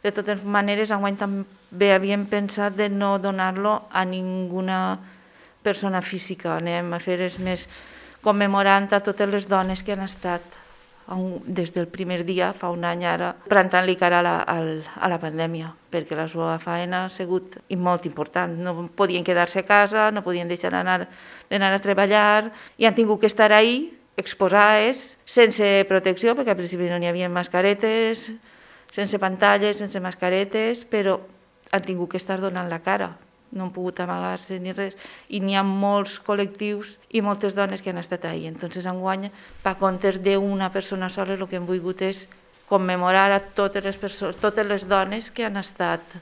De totes maneres, enguany també havíem pensat de no donar-lo a ninguna persona física. Anem a fer més commemorant a totes les dones que han estat des del primer dia, fa un any ara, plantant-li cara a la pandèmia, perquè la seva feina ha sigut molt important. No podien quedar-se a casa, no podien deixar d'anar a treballar i han tingut que estar ahí, exposades, sense protecció, perquè al principi no n'hi havia mascaretes, sense pantalles, sense mascaretes, però han tingut que estar donant la cara. No han pogut amagar-se ni res, i n'hi ha molts col·lectius i moltes dones que han estat ahí. Entonces, enguany, per comptes d'una persona sola, el que hem volgut és commemorar a totes les dones que han estat